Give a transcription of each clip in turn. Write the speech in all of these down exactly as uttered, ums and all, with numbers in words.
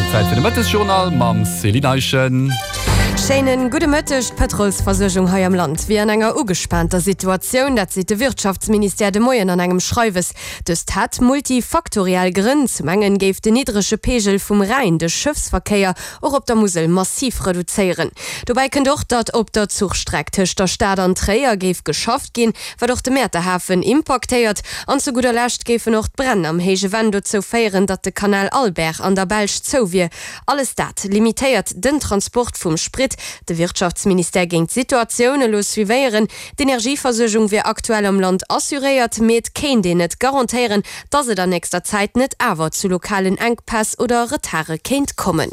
Zäit fir de Mëttesjournal mam Céline Eischen. Schéinen gudde Mëtteg. D'Pëtrolsversuergung hei am Land wier an enger ugespaanter Situatioun, dat seet de Wirtschaftsministère de Moien an engem Schreiwes. Dëst hätt multifaktoriell Grënn. Zum engen géif den niddrege Peegel vum Rhäin de Schëffsverkéier och op der Musel massiv reduzéieren. Dobäi kënnt och, datt op der Zuchstreck tëscht der Stad an Tréier géif geschafft ginn, wat och de Mäerter Hafen impaktéiert. An zu gudder Lescht géifen och d'Bränn am Héije Venn dozou féieren, datt de Kanal Albert an der Belsch zou wier. Alles dat limitéiert den Transport vum Sprit. De Wirtschaftsministère géing d'Situatioun elo suivéieren. D'Energieversuergung wier aktuell am Land assuréiert, mee et kéint een net garantéieren, datt et an nächster Zäit net awer zu lokalen Enkpäss oder Retarde kéint kommen.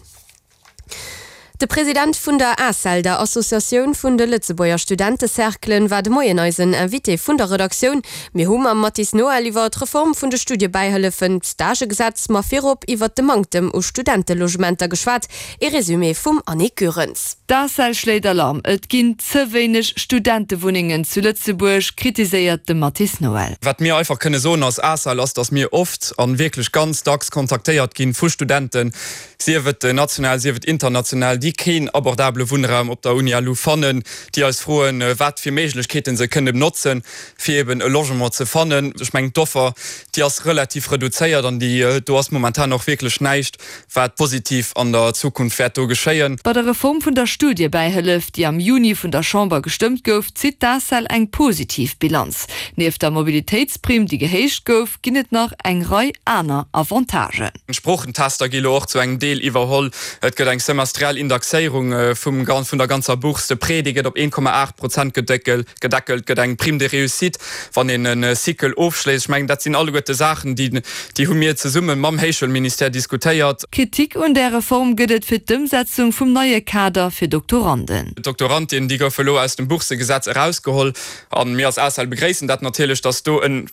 De President vun der ACEL, der Associatioun vun de Lëtzebuerger Studentecerclen, war de Moien eisen Invité vun der Redaktioun. Mir hu mam Mathis Noël iwwer d'Reform vun de Studiebäihëllefen, d'Stagegesetz, ma virop iwwer de Manktem u Studentelogementer geschwat. Ee Resumé vum Annick Goerens. D'ACEL schléit Alarm, Et ginn ze wéineg Studentewunnengen zu Lëtzebuerg, kritiséiert de Mathis Noël. Wat mir einfach kënne soen als ACEL ass, datt mir oft an wierklech ganz dacks kontaktéiert ginn vu Studenten, sief et national, sief et international, déi keen abordabele Wunnraum op der Uni LU fannen, déi eis froen, wat fir Méiglechkeete se kënnen notzen, fir eben e Logement ze fannen. Ech mengen, d'Offer, déi ass relativ reduzéiert an déi, do ass momentan och wierklech näischt, wat positiv an der Zukunft wäert do geschéien. Bei der Reform vun der Studiebäihëllef, déi am Juni vun der Chamber gestëmmt gouf, zitt d'ACEL eng positiv Bilanz. Nieft der Mobilitéitsprimm, déi gehéicht gouf, ginn et nach eng Rei aner Avantagen. D'Sproochentester gi lo och zu engem Deel iwwerholl. Et gëtt eng semestriell Indexéierung vum vun der ganzer Bourse. De Prêt, dee gëtt op een Komma aacht Prozent gedeckelt. Et gëtt eng Prime de réussite, wann een e Cycle ofschléisst. Ech mengen, dat sinn alleguerte Saachen, déi déi hu mir zesumme mam Héichschoulministère diskutéiert. Kritik un där Reform gëtt et fir d'Ëmsetzung vum neie Kader fir Doktoranden. D'Doktorandinnen, déi goufe elo aus dem Boursegesetz erausgeholl. A mir als ACEL begréissen dat natierlech, datt do en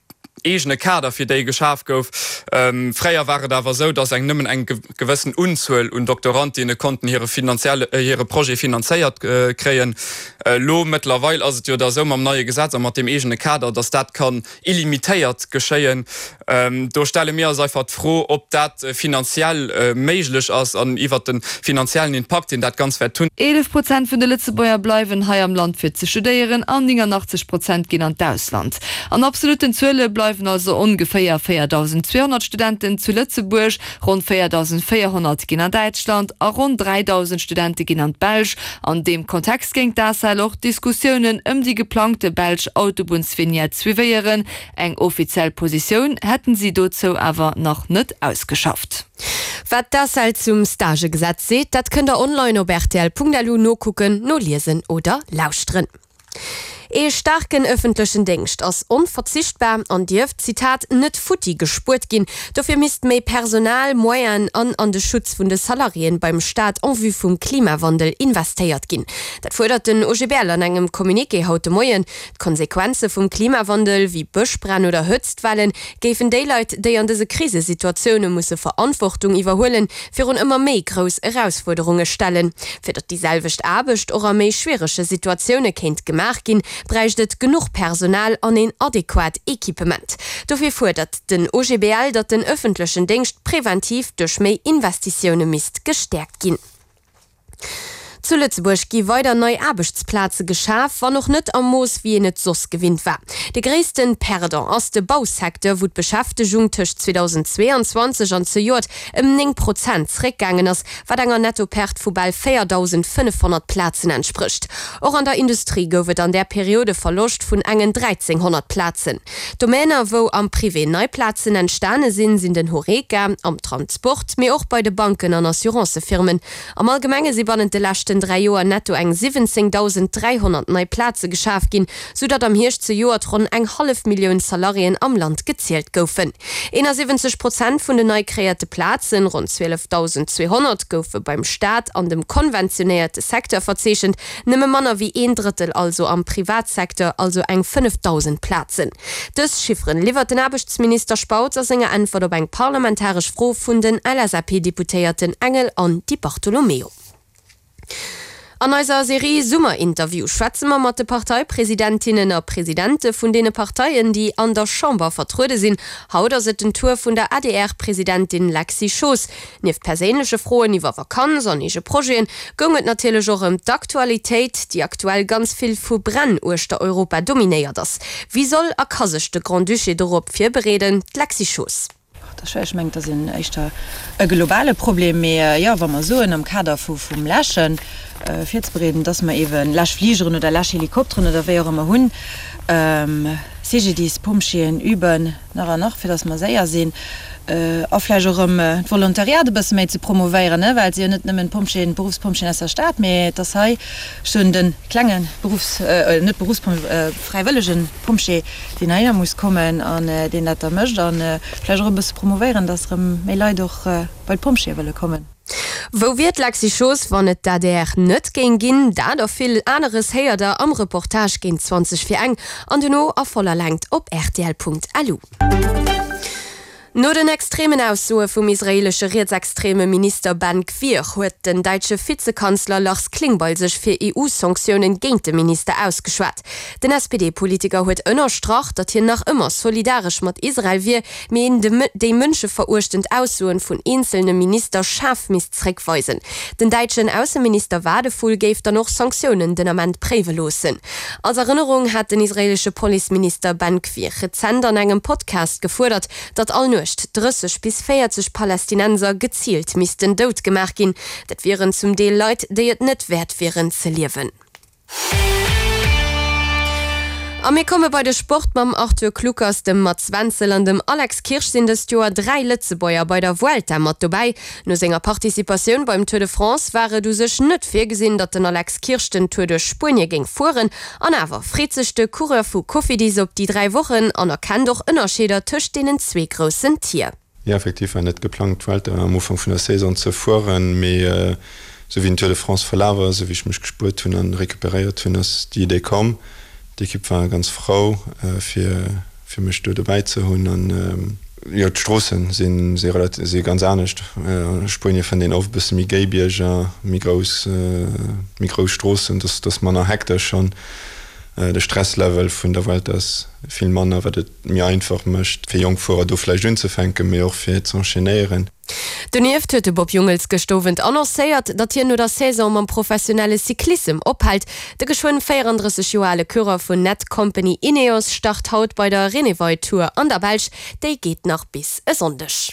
eegene Kader fir déi geschaf gouf. Fréier war et awer esou, datt eng nëmmen eng gewëssen Unzuel un Doktorandinne konnten hire finanzielle, hire Projet finanzéiert kréien. Elo mëttlerweil ass et jo da esou mam neie Gesetz a mat deem eegene Kader, datt dat kann illimitéiert geschéien. Do stelle mir eis einfach d'Fro, ob dat finanziell méiglech ass an iwwert de finanziellen Impakt, deen dat Ganzt wäert hunn. Eelef Prozent vun de Lëtzebuerger bleiwen hei am Land fir ze studéieren an néngannachtzeg Prozent ginn an d'Ausland. An absolutten Zuele bleiwen also ongeféier véiertausendzweehonnert Studenten zu Lëtzebuerg, ronn véiertausendvéierhonnert ginn an Däitschland a ronn dräidausend Studente ginn an d'Belsch. An deem Kontext géing d'ACEL och d'Diskussiounen ëm déi geplangte belsch Autobunnsvignette suivéieren. Eng offiziell Positioun hätten si dozou awer nach net ausgeschafft. Wat d'ACEL zum Stagegesetz seet, dat kënnt der online op rtl.lu nokucken, noliesen oder lauschteren. Ee staarken ëffentlechen Déngscht ass onverzichtbar an dierf, Zitat, net futti gespuert ginn. Dofir misst méi Personal, Moyenen an an de Schutz vun de Salariéen beim Staat en vue vum Klimawandel investéiert ginn. Dat fuerdert den O G B L an engem Communiqué haut de Moien. D'Konsequenze vum Klimawandel, wéi Bëschbränn oder Hëtztwellen, géifen déi Leit, déi an dëse Krisesituatioune musse Verantwortung iwwerhuelen, virun ëmmer méi grouss Erausfuerderunge stellen. Fir datt déi selwecht Aarbecht och a méi schwierege Situatioune kéint gemaach ginn, bräicht et genuch Personal an een adequat Equipement. Dofir fuerdert den O G B L, datt den ëffentlechen Déngscht preventiv duerch méi Investitioune misst gestäerkt ginn. Zu Lëtzebuerg gi weider nei Aarbechtsplaze geschaf, wann och net am Mooss, wéi een et soss gewinnt war. De gréisste Perdant ass de Bausecteur, wou d'Beschäftegung tëscht zweedausendzweeanzwanzeg an zejoert ëm néng Prozent zréckgaangen ass, wat enger Nettoperte vu bal véierdausendfënnefhonnert Plazen entsprécht. Och an der Industrie gouf et an där Period e Verloscht vun engen dräizénghonnert Plazen. Domäner, wou am Privé nei Plazen entstane sinn, sinn den Horeca, am Transport, mee och bei de Banken an Assurancefirmen. Am Allgemenge si bannent de leschten dräi Joer netto eng siwwenzéngdausend dräihonnert nei Plaze geschaf ginn, sou datt am Hierscht zejoert ronn eng hallef Millioun Salariéen am Land gezielt goufen. eenasiwwenzeg Prozent vun den nei kreéierte Plazen, ronn zwielefdausendzweehonnert, goufe beim Staat an dem konventionéierte Secteur verzeechent, nëmme manner wéi een Drëttel also am Privatsecteur, also eng fënnefdausend Plazen. Dës Chifferen liwwert den Aarbechtsminister Spautz a senger Äntwert op eng parlamentaresch Fro vun den L S A P-Deputéierten Engel an Di Bartolomeo. An eiser Serie Summerinterview schwätze mer mat de Parteipresidentinnen a presidente vun deene Parteien, déi an der Chamber vertruede sinn. Haut ass et den Tour vun der A D R-Presidentin Lexy Schoos. Nieft perséinleche Froen iwwer Vakanz an eege Projeten, goung et natierlech och ëm d'Aktualitéit, déi aktuell ganz vill vu Bränn uechter Europa dominéiert ass. Wéi soll a ka sech de Grand-Duché dorop virbereeden? D'Lexy Schoos. Ech mengen, dat ass en éischter e globale Problem, mee jo, wa mer soen am Kader vu vum Läschen virzebereeden, dass mer eeben Läschfligeren oder Läschhelikopteren oder wéi och ëmmer hunn, C G D I S, Pompjeeën üben nach an nach, fir dass mer séier sinn, a vläicht och erëm d'Volontariat e bësse méi ze promovéieren, well et si jo net nëmmen d'Pompjeeën, d'Beruffspompjeeën aus der Stad, mee et ass hei schonn de klenge Beruffs-, net Beruffspompjee, fräiwëllege Pompjee, deen heihinner muss kommen an deen dat da mécht a vläicht och e bësse promovéieren, dass erëm méi Leit och bei d'Pompjeeë wëlle kommen. Wou wier d'Lexy Schoos, wann et d'A D R net géing ginn? Dat a vill aneres héiert der am Reportage géint zwanzeg vir eng an duerno a voller Längt op rtl Punkt L U. No den extremen Aussoe vum israeelesche rietsextreme Minister Ben Gvir huet den däitsche Vizekanzler Lars Klingbeil sech fir E U-Sanktiounen géint de Minister ausgeschwat. Den S P D-Politiker huet ënnerstrach, datt hien nach ëmmer solidaresch mat Israel wier, mee een déi mënscheveruechtend Aussoen vun eenzelne Minister schaarf misst zréckweisen. Den däitschen Ausseminister Wadephul géif dann och Sanktiounen den Ament préiwe loossen. Als Erënnerung hat den israeelesche Policeminister Ben Gvir rezent an engem Podcast gefuerdert, datt all Nuecht drësseg bis véierzeg Palästinenser geziilt missten dout gemaach ginn. Dat wieren zum Deel Leit, déi et net wäert wieren ze liewen. A mir komme bei de Sport mam Arthur Kluckers, dem Mats Wenzel an dem Alex Kirsch sinn dëst Joer dräi Lëtzebuerger bei der Vuelta mat dobäi. No senger Participatioun beim Tour de France war et u sech net virgesinn, datt den Alex Kirsch den Tour duerch Spuenie géing fueren. An awer freet sech de Coureur vu Cofidis op déi dräi Wochen an erkennt och Ënnerscheeder tëscht deenen zwee groussen Tier. Jo, effektiv war net geplangt, d'Vuelta am Ufank vun der Saison ze fueren, mee sou wéi den Tour de France verlaf ass, sou wéi ech mech gespuert hunn an recuperéiert hunn, ass déi Idee komm. D'Ekipp war ganz frou fir fir mech do dobäi ze hunn an jo, d'Stroossen sinn si relativ si ganz anescht. A Spuenie fënnt een oft e bësse méi géi Bierger, méi grouss méi grouss Stroossen, dass dass manner hektesch an de Stresslevel vun der Vuelta ass vill manner, wat et méi einfach mécht fir jonk Fuerer do vläicht unzefänken, mee och fir ze enchaînéieren. Donieft huet de Bob Jungels gëscht Owend annoncéiert, datt hien no der Saison mam professionelle Cyclissem ophält. De geschwënn véierandrësseg Joer ale Coureur vun Netcompany Ineos start haut bei der Renewi Tour an der Belsch, déi geet nach bis e Sonndeg.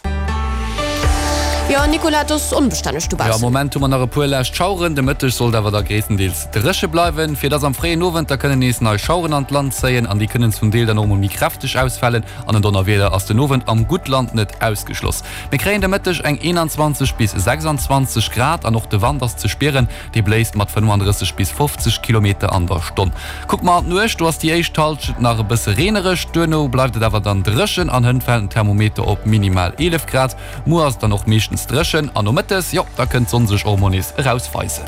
Jo Nicolas, et ass onbestänneg Jo, am dobaussen. Moment hu mer nach e puer lescht Schaueren, de Mëtteg sollt awer da gréisstendeels dréche bleiwen. Fir dass am fréien Owend da kënnen nees nei Schaueren an d'Land zéien an déi kënnen zum Deel dann och mol méi kräfteg ausfalen an en Donnerwieder ass den Owend am Guttland net ausgeschloss. Mir kréien de Mëtteg eng eenanzwanzeg bis sechsanzwanzeg Grad an och de Wand ass ze spieren, dee bléist mat fënnefandrësseg bis fofzeg Kilometer an der Stonn. Kucke mer an d'Nuecht, do ass déi éischt Hallschent nach e bësse reenereg, duerno bleift et awer dann dréchen an hënt fält den Thermometer op minimal eelef Grad. Muer ass et dann och meeschtens dréchen an nomëttes, jo, da kënnt d'Sonn sech och mol nees erausweisen.